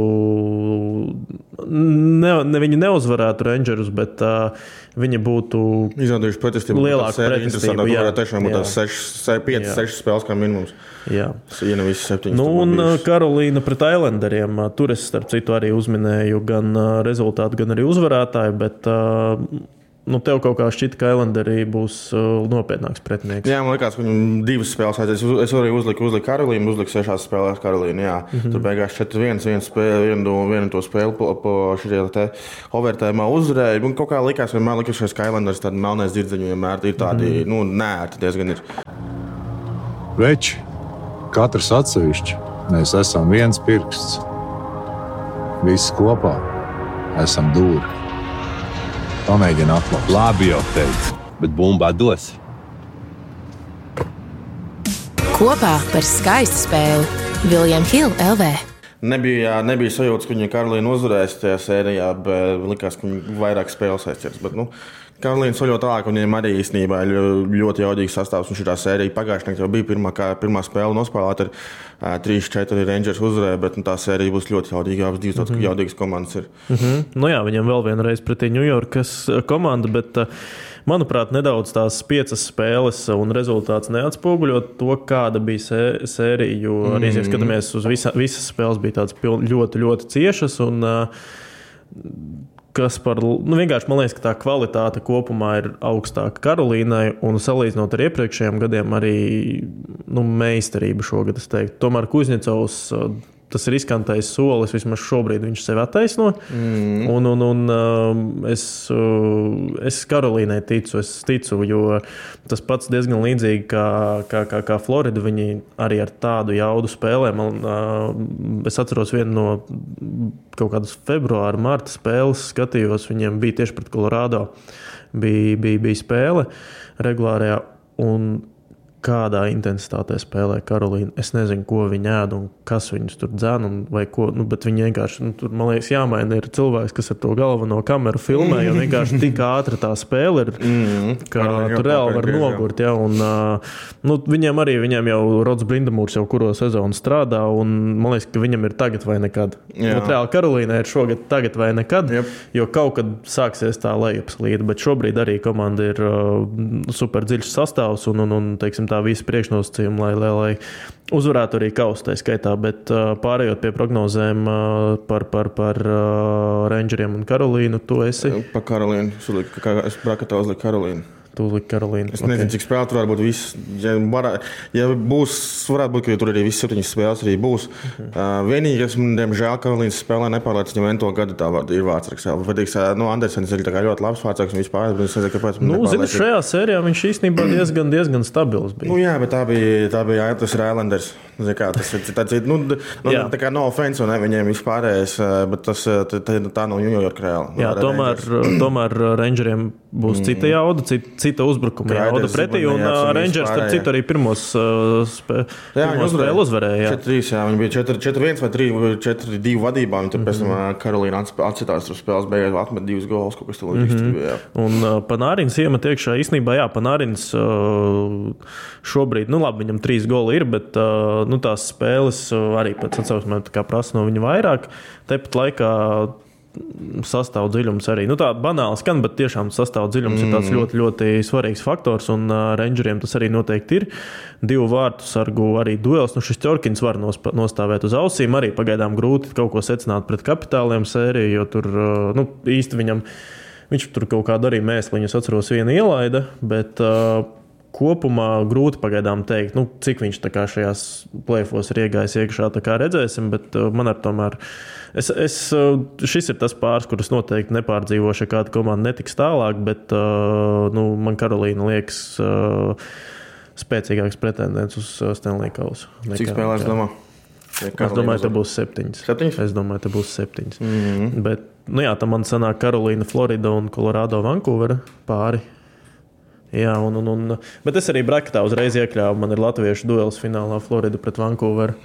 ne, ne viņi neuzvarētu Rangerus, bet uh, viņi būtu izrādījuši pretestību. Lielāku pretestību. Jā, jā, tiešām būtu tās piecas sešas spēles kā minimums. Jā. Ja ne visi septiņas. Nu, un Karolīna pret Islanderiem. Tur es starp citu arī uzminēju gan rezultātu, gan arī uzvarētāju, bet uh, nu, tev kaut kā šķita, ka Islanderi būs uh, nopietnāks pretinieks. Jā, man liekas, ka viņam divas spēles aizies. Es, es arī uzliku, uzliku Karolīnu, uzliku sešās spēlēs Karolīnu. Jā. Mm-hmm. Tur beigās četri viens, viena spēle, vienu, vienu to spēli po, po šajā te overtājumā uzvarēja. Man kaut kā likās, vienmēr likās, ka Islanders tādi melnais dzirdziņi vienmēr ir tādi, mm-hmm. nu, nērti diezgan ir. Veči, katrs atsevišķi, mēs esam viens pirksts. Visi kopā esam dūri. Pamēģina atklāt. Labi jau teicu, bet bumbā dos. Kopā par skaistu spēli William Hill L V. Nebija, nebija sajūtas, ka viņa Karolīna uzvarēs tajā sērijā, bet likās, ka viņa vairāk spēles aizķers. Bet, nu, Karolīna soļo tālāk, un viņiem arī īstenībā ir ļoti jaudīgs sastāvs. Un šī sērija pagājušajā gadā jau bija pirmā, kā, pirmā spēle nospēlēta ar uh, trīs četri Rangers uzvarēja, bet nu, tā sērija būs ļoti jaudīga. Abas divas mm-hmm. jaudīgas komandas ir. Mm-hmm. Nu jā, viņam vēl vienreiz pretī Ņujorkas komanda, bet uh, manuprāt, nedaudz tās piecas spēles un rezultāts neatspoguļo to, kāda bija sē, sērija. Jo mm-hmm. arī, ja skatāmies uz visa, visas spēles, bija tādas ļoti, ļoti ciešas. Un, uh, kas par, nu vienkārši man liekas, ka tā kvalitāte kopumā ir augstāka Karolīnai un salīdzinot ar iepriekšējiem gadiem arī nu, meistarība šogad, es teiktu. Tomēr Kuzņecovs, tas ir riskantais solis, vismaz šobrīd viņš sevi attaisno. Mm. Un, un, un es, es Karolīnai ticu, es ticu, jo tas pats diezgan līdzīgi kā, kā, kā, kā Florida, viņi arī ar tādu jaudu spēlē. Man, es atceros vienu no kaut kādas februāra, marta spēles, skatījos, viņiem bija tieši pret Colorado, bija, bija, bija spēle regulārajā, un kādā intensitātē spēlē Karolīna. Es nezinu, ko viņi ēd un kas viņus tur dzēn, un vai ko, nu, bet viņi vienkārši, nu, tur, man liekas, jāmaina ir cilvēks, kas ar to galveno kameru filmē, jo vienkārši tik ātra tā spēle ir, ka tur reāli var nogurt, ja, un, nu, viņiem arī, viņiem jau Rods Brindamūrs jau kuro sezonu strādā, un man liekas, ka viņam ir tagad vai nekad. Nu, reāli Karolīna ir šogad tagad vai nekad, yep. jo kaut kad sāksies tā lejupslīde, bet šobrīd arī komanda ir uh, super dziļš sastāvs, un, un, un teiksim, tā visi priekšnosacījumi, lai, lai, lai uzvarētu arī kausu tā skaitā, bet uh, pārējot pie prognozēm uh, par, par, par uh, Rangeriem un Karolīnu, tu esi? Par Karolīnu, es brakatā uzliku Karolīnu. Tu uzliki Karolīnu. Es nezinu, okay. cik spēlēt varētu būt viss. Ja, var, ja būs, varētu būt, ka tur arī viss septiņas spēles arī būs. Uh-huh. Uh, vienīgi, es, diemžēl, Karolīnas spēlē nepārlēc, viņam to gadu tā var, ir vārdsargs. Vadīgs, nu, Andersens ir tā kā ļoti labs vārdsargs un vispār, bet es nezinu, kāpēc. Nu, zini, šajā sērijā viņš īstenībā diezgan, diezgan stabils bija. Nu, jā, bet tā bija, tā bija, tas ir Islanders. Kā, tas ir tāds, nu, nu, tā kā no offense, ne, viņiem vispārējais, bet tas, tā, tā nav New York reāli. Jā, tomēr, tomēr Rangeriem būs mm. cita jauda, cita, cita uzbrukuma jauda pretī, un Rangers, starp citu, arī pirmos spē, spēli uzvarēja. četri trīs, jā, viņi bija četri viens vai četri divi vadībā, un tur pēc tam mm-hmm. Karolīna atcitās tur spēles beigās, atmet divus gols, kaut kas tur līdz mm-hmm. bija. Un uh, Panārins iemet iekšā, īstenībā, jā, Panārins uh, šobrīd, nu labi, viņam trīs goli ir, bet uh, nu, tās spēles arī pēc atsauksmēm tā kā prasa no viņa vairāk. Tepat laikā sastāv dziļums arī. Nu, tā banāli skan, bet tiešām sastāv dziļums mm. ir tāds ļoti, ļoti svarīgs faktors, un uh, Rangeriem tas arī noteikti ir. Divu vārtu sargu arī duels. Nu, šis Ķorkins var nosp- nostāvēt uz ausīm. Arī pagaidām grūti kaut ko secināt pret Kapitāliem sēriju, jo tur uh, nu, īsti viņam, viņš tur kaut kādu arī mēsliņus atceros vienu ielaida, bet uh, kopumā grūti pagaidām teikt, nu, cik viņš tā kā šajās play-offos ir iegājis iekšā, tā kā redzēsim, bet uh, man ar tomēr, es, es, uh, šis ir tas pāris, kurus noteikti nepārdzīvošu, ja kāda komanda netiks tālāk, bet uh, nu, man Karolīna liekas uh, spēcīgāks pretendents uz Stanley kausu. Cik spēlēs domā? Ja es domāju, te būs septiņas. Septiņas? Es domāju, te būs septiņas. Mm-hmm. Bet, nu jā, tam man sanāk Karolīna, Florida un Colorado, Vancouver pāri. Jā, un, un, un, bet es arī braketā uzreiz iekļāvu. Man ir latviešu duels finālā Florida pret Vancouveru.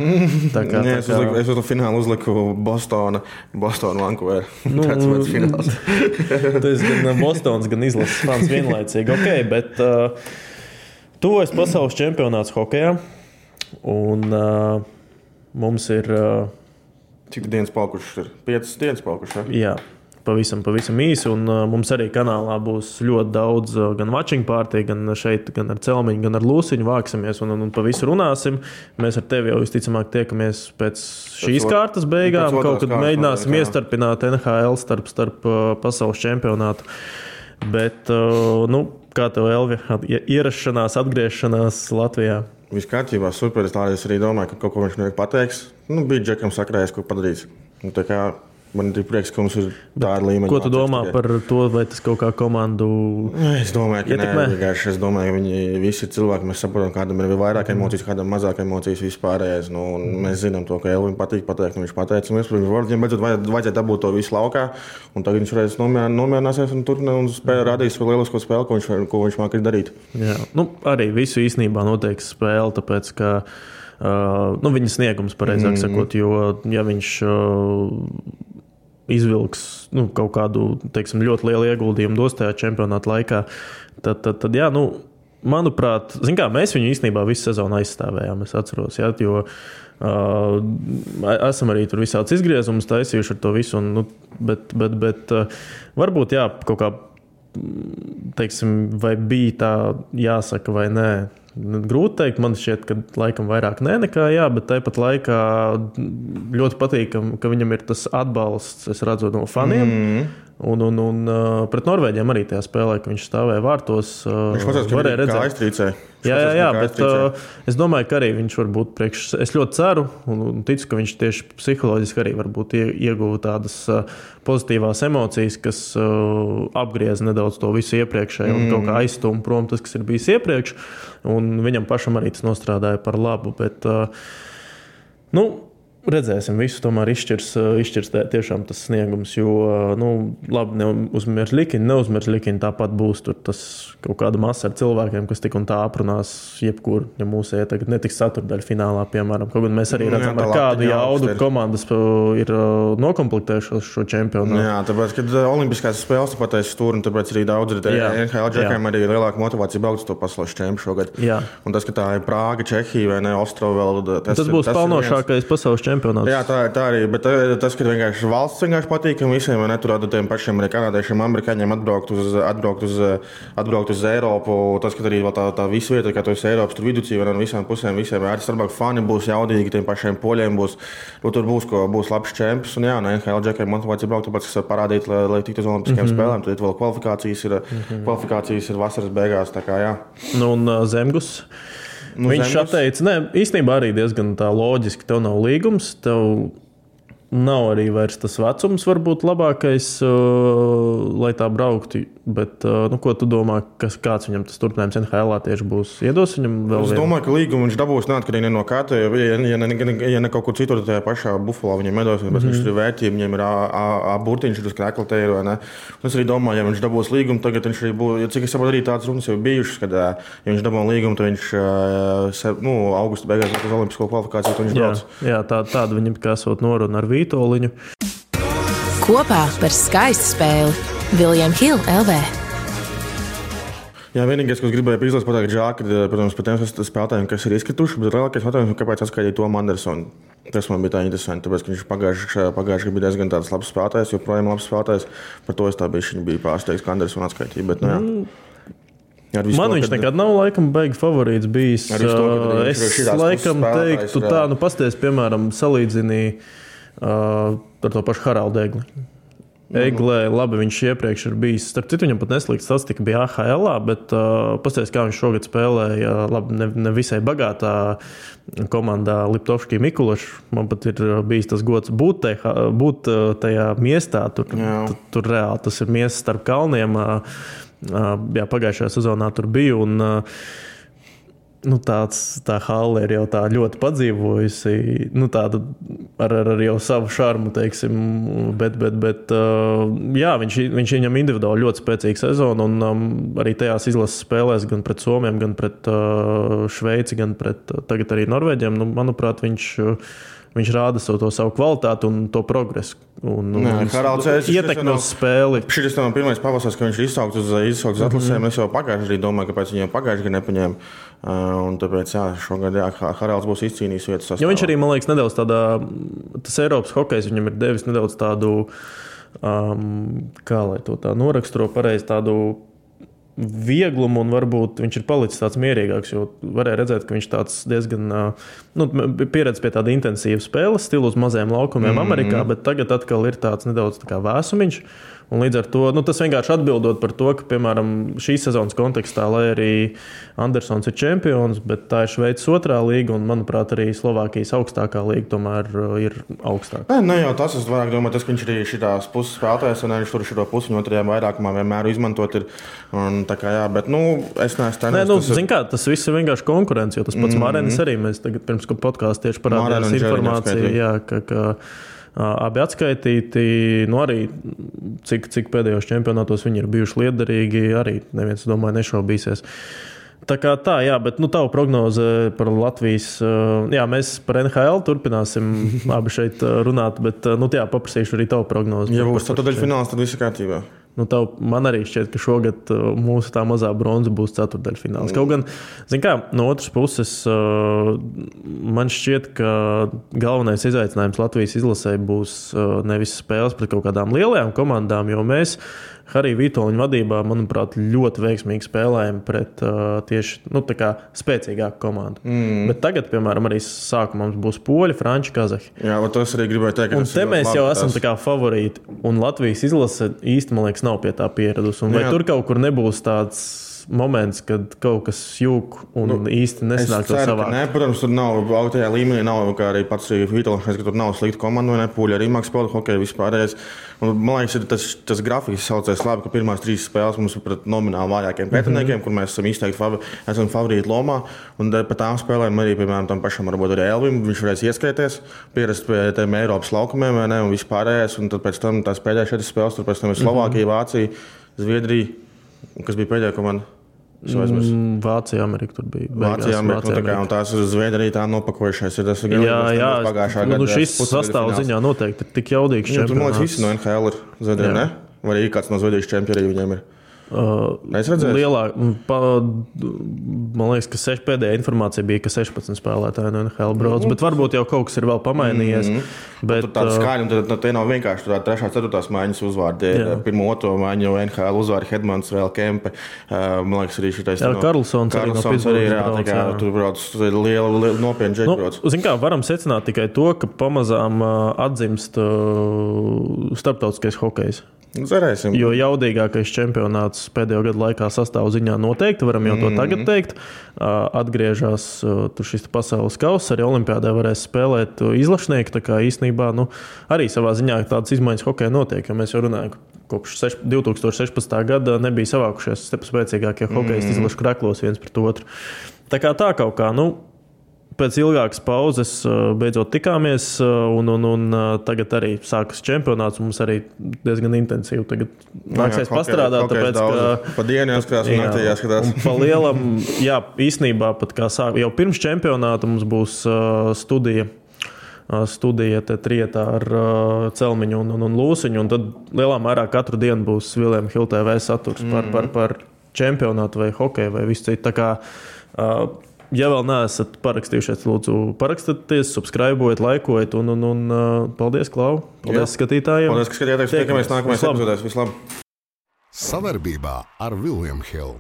Tā kā, Nē, tā es uzliku, es uzliku finālu uzliku Bostona, Bostona, Vancouver. Nu, tāds mans fināls. Tas gan Bostons, gan izlases fans vienlaicīgi. Ok, bet uh, tuvojas pasaules čempionāts hokejā. Un uh, mums ir... Uh, Cik dienas palkušas ir? Piecas dienas palkušas, jā? Jā. Pavisam, pavisam īsi, un uh, mums arī kanālā būs ļoti daudz uh, gan watching party, gan šeit, gan ar Celmiņu, gan ar Lūsiņu vāksimies un, un, un pa visu runāsim. Mēs ar tevi jau visticamāk tiekamies pēc šīs pēc kārtas beigām, kaut kad mēģināsim jā. iestarpināt N H L starp, starp uh, pasaules čempionātu. Bet, uh, nu, kā tev, Elvi, ierašanās, atgriešanās Latvijā? Viss kārtībā, super, es arī domāju, ka kaut ko viņš nevajag pateiks. Nu, bija Džekam sakrājies, ko padarīs. Nu, tā kā man ir prieks, ka mums ir tāda līmeņa. Ko tu domā par to, vai tas kaut kā komandu Es domāju, ka ietekmē? nē, vienkārši es domāju, ka viņi visi ir cilvēki. Mēs saprotam, kādam ir vairāk emocijas, kādam mazāk emocijas vispārējais. Nu, mēs zinām to, ka Elvim patīk pateikt, un viņš pateica. Mēs, viņam beidzot vajadzētu dabūt to visu laukā, un tagad viņš varēs nomierināsies un turpināt un spēlē, radīs vēl lielisko spēli, ko viņš, ko viņš māk darīt. Jā, nu, arī visu īstenībā noteiks spēli, tāpēc, ka uh, nu, viņa sniegums, pareizāk mm. sakot, jo ja viņš uh, izvilks nu, kaut kādu teiksim, ļoti lielu ieguldījumu dos tajā čempionāta laikā, tad, tad, tad jā, nu, manuprāt, zin kā, mēs viņu īstenībā visu sezonu aizstāvējām, es atceros, jā, jo uh, esam arī tur visāds izgriezumus taisījuši ar to visu, un, nu, bet, bet, bet uh, varbūt, jā, kaut kā, teiksim, vai bija tā jāsaka vai nē. Grūti teikt, man šķiet, ka laikam vairāk nē nekā jā, bet tāpat laikā ļoti patīk, ka viņam ir tas atbalsts, es redzu, no faniem. Mm. Un, un, un pret Norvēģiem arī tajā spēlē, ka viņš stāvēja vārtos. Viņš pats varēja redzēt, kā aiztrīcē. Jā, jā, jā, bet uh, es domāju, ka arī viņš var būt priekš. Es ļoti ceru un ticu, ka viņš tieši psiholoģiski arī varbūt ieguva tādas uh, pozitīvās emocijas, kas uh, apgriez nedaudz to visu iepriekšēju mm. un kaut kā aizstūm prom tas, kas ir bijis iepriekš. Un viņam pašam arī tas nostrādāja par labu. Bet, uh, nu, redzēsim, visu tomēr izšķirs, izšķirs tiešām tas sniegums, jo, nu, labi, neuzmirs Likini, neuzmirs Likini, tāpat būs tur tas kaut kāda masa ar cilvēkiem, kas tik un tā aprunās jebkur, ja mūsu ietagad netiks ceturtdaļa finālā, piemēram. Kaut gan mēs arī redzam, ar kādu jaudu komandas ir nokomplektējušos šo čempionu. Jā, tāpēc, kad olimpiskās spēles pateicis tur, un tāpēc arī daudz ir N H L džekiem arī lielāka motivācija braukt uz to pasaules čempionu šogad. Jā. Un tas, ka tā ir Prāga, Čehija vai ne, Ostrova vēl. Tas, tas būs pelnošākais pasaules čempions. Jā, tā, tā arī, bet tas, ka vienkārši valsts vienkārši patīkam visiem, vai ne, tur tiem pašiem arī kanādiešiem, amerikāņiem atbraukt uz, atbraukt uz, atbraukt uz Eiropu, tas, ka arī tā, tā visu vieta, kā tu esi Eiropas, tur viducī, vai no visām pusēm, visiem arī starpāk fani būs jaudīgi, tiem pašiem poļiem būs, tur būs, ko, būs labs čemps, un jā, no N H L džekiem motivācija braukt, tāpēc, kas parādīt, lai, lai tiktu uz olimpiskajām mm-hmm. spēlēm, tad vēl kvalifikācijas ir, mm-hmm. kvalifikācijas ir vasaras beigās, tā kā jā. Nu, un uh, Zemgus? Nu, viņš zemes. Atteica, ne, īstenībā arī diezgan tā loģiski, tev nav līgums, tev nav arī vairs tas vecums varbūt labākais, uh, lai tā brauktu, bet, uh, nu, ko tu domā, kas, kāds viņam tas turpinājums N H L-ā tieši būs? Iedos viņam vēl es vienu? domāju, ka līgumu viņš dabūs neatkarīgi no kā, ja, ja, ja, ne, ja ne kaut kur citur, tajā pašā Buffalo viņam iedos, bet mm-hmm. viņš ir vērtība, viņam ir A-burtiņš, ir uz krekla ir, vai ne? Un es arī domāju, ja viņš dabūs līgumu, tagad viņš arī būs, ja cik es saprotu, arī tāds runas jau bijušas, kad, ja viņš dabūs līgumu, tad viņš, nu, augusta beigās uz olimpisko kvalifikāciju, tad viņš jā, brauc. Jā, tā, tāda viņam kā esot noruna ar Vītoliņu. Kopā par skaistu spēli William Hill L V. Jā, vienīgais, ko es gribēju izlasīt, pateikt, žēl, ka, protams, par tiem spēlētājiem, kas ir izkrituši, bet lielākais jautājums, kāpēc atskaidīja Tomu Andersonu. Tas man bija tā interesanti, tāpēc, ka viņš pagājuši, pagājuši bija diezgan tāds labs spēlētājs, joprojām labs spēlētājs. Par to es tā biju, bija pārsteigts, ka Andersonu atskaitīja, bet, nu jā. Man to, viņš kad... nekad nav laikam baigi favorīts bijis. To, es laikam teiktu tā, nu pasties, piemēram, salīdzinī uh, ar to pašu Haraldu Egli. Eglē, labi, viņš iepriekš ir bijis. Starp citu, viņam pat neslīga statistika bija A H L-ā, bet uh, pasties, kā viņš šogad spēlēja, labi, ne, ne visai bagātā komandā Liptovskij Mikulašs. Man pat ir bijis tas gods būt, tajā, būt tajā miestā. Tur, tur, tur reāli tas ir miestas starp kalniem. Uh, jā, pagājušajā sezonā tur biju. Un, uh, nu, tāds, tā hale ir jau tā ļoti padzīvojusi, nu, tāda ar, ar, ar jau savu šarmu, teiksim, bet, bet, bet jā, viņš, viņš viņam individuāli ļoti spēcīga sezona, un um, arī tajās izlases spēlēs gan pret Somiem, gan pret uh, Šveici, gan pret uh, tagad arī Norvēģiem, nu, manuprāt, viņš, uh, viņš rāda savu, to savu kvalitāti un to progresu. Un, un ietekmi uz spēli. Šis ir pirmais pavasars, ka viņš ir izsaukts uz, izsaukts uz atlasēm. Mm-hmm. Es jau pagājuši arī domāju, kāpēc viņam pagājuši gan nepaņēma. Un tāpēc, jā, šogad, jā, Haralds būs izcīnījis vietas sastāvā. Jo viņš arī, man liekas, nedaudz tādā, tas Eiropas hokejs viņam ir devis nedaudz tādu, um, kā lai to tā noraksturo pareizi, tādu vieglumu, un varbūt viņš ir palicis tāds mierīgāks, jo varēja redzēt, ka viņš tāds diezgan nu, pieredz pie tāda intensīva spēles stilu uz mazajiem laukumiem mm-hmm. Amerikā, bet tagad atkal ir tāds nedaudz tā kā vēsumiņš. Un līdz ar to, nu, tas vienkārši atbildot par to, ka, piemēram, šīs sezonas kontekstā, lai arī Andersons ir čempions, bet tā ir Šveices otrā līga, un, manuprāt, arī Slovākijas augstākā līga tomēr ir augstāka. Nē, ne jau tas, es vairāk domāju, tas, ka viņš arī šitās puses spēlētājs, un viņš tur šito pusi otrajā vairākumā vienmēr izmantot ir, un tā kā jā, bet, nu, es neesmu tenēs. Nē, nu, tas zin kā, tas viss ir vienkārši konkurence, jo tas pats mm-hmm. Mārenis arī, mēs tagad pirms podkāstu tieši parādījās informāciju, jā, ka, ka abi atskaitīti, nu arī cik, cik pēdējos čempionātos viņi ir bijuši liederīgi, arī neviens, domāju, nešaubīsies. Tā kā tā, jā, bet nu tavu prognoze par Latvijas, jā, mēs par N H L turpināsim abi šeit runāt, bet, nu jā, paprasīšu arī tavu prognozi. Ja būs ceturtdaļfināls, tad viss ir kārtībā. Nu, tav, man arī šķiet, ka šogad mūsu tā mazā bronza būs ceturtdaļfināls. Kaut gan, zin kā, no otras puses, man šķiet, ka galvenais izaicinājums Latvijas izlasē būs nevis spēles pret kaut kādām lielajām komandām, jo mēs Harija Vitoļņa vadībā, manuprāt, ļoti veiksmīgi spēlējam pret uh, tieši nu, tā kā spēcīgāku komandu. Mm. Bet tagad, piemēram, arī sākumā mums būs poļi, franči, kazahi. Jā, bet tas arī gribēju teikt, ka un te mēs jau esam tā kā favorīti. Un Latvijas izlase īsti, man liekas, nav pie tā pieradusi. Un vai Jā. Tur kaut kur nebūs tāds moments, kad kaut kas jūk un nu, īsti nesanāk to savāk? Nē, protams, tur nav augstajā līmenī, nav kā arī pats Vitoļņš, ka tur nav slikta komanda, vai ne, pūļi arī māk spēlēt hokeju vispārējais. Un, man liekas, ir tas, tas grafiks saucēs labi, ka pirmās trīs spēles mums ir pret nomināli vājākiem pretiniekiem, mm-hmm. kur mēs esam izteikti fav, esam favorīti lomā. Un par tām spēlēm arī, piemēram, tam pašam varbūt arī Elvim, viņš varēs ieskaities, pierast pie tiem Eiropas laukumiem, vai ne, un vispārējais. Un tad pēc tam tās pēdējās četras spēles, tur pēc tam ir Slovākija, Vācija, Zviedrija, kas bija pēdējā komanda. Mm, Vācija, Amerika tur bija. Vācija, Amerika, Vācija, nu, tā kā, un tās uz Zviedrija tā nopakojušais ir. Tas ir jā, jā, pagājušā gada. Nu, šis sastāv ziņā noteikti ir tik jaudīgs čempionāts. Tur, man liekas, visi no N H L ir Zviedrija, ne? Vai arī kāds no Zviedrijas čempioni viņiem ir? Uh, lielā, pa, man liekas, ka seš, pēdējā informācija bija, ka sešpadsmit spēlētāji no N H L brauc, mm-hmm. bet varbūt jau kaut kas ir vēl pamainījies. Mm-hmm. Bet, tur tāda skaļa, un tad, tad te nav vienkārši tur trešā, ceturtās maiņas uzvārdi. Pirmo, otro maiņu jau N H L uzvārdi Hedmans, vēl Kempe. Uh, man liekas, arī šitais. Jā, no, Karlsons arī no Pittsburghas brauc. Tā kā tur brauc liela, liela nopietna džeki brauc. Nu, zin kā, varam secināt tikai to, ka pamazām uh, atzimst uh, starptautiskais hokejs. Cerēsim. Jo jaudīgākais čempionāts pēdējo gadu laikā sastāv ziņā noteikti, varam jau to mm-hmm. tagad teikt. Atgriežas tur šis pasaules kauss, arī olimpiādē varēs spēlēt izlašnieki, tā kā īstenībā nu, arī savā ziņā tādas izmaiņas hokeja notiek, jo mēs jau runājam, kopš divi tūkstoši sešpadsmitā gada nebija savākušies spēcīgākie hokejisti mm-hmm. izlašu kreklos viens pret otru. Tā kā tā kaut kā, nu, pēc ilgākas pauzes beidzot tikāmies, un, un, un tagad arī sākas čempionāts. Mums arī diezgan intensīvi tagad nāksies pastrādāt. Tāpēc, ka pa dienu jāskatās un naktī jāskatās. Un pa lielam, jā, īstenībā pat kā sāk, jau pirms čempionāta mums būs uh, studija. studija te trietā ar uh, Celmiņu un, un, un Lūsiņu, un tad lielā mērā katru dienu būs William Hill T V saturs mm. par, par, par čempionātu vai hokeju vai visu citu. Tā kā uh, ja vēl neesat parakstījušies, lūdzu, parakstieties, subscribojiet, laikojiet, un, un, un uh, paldies, Klau. Paldies, Jā. skatītājiem. Paldies, ka skatījāties. Tiekamies nākamajās epizodēs. Vislabāk. Savarbībā ar William Hill.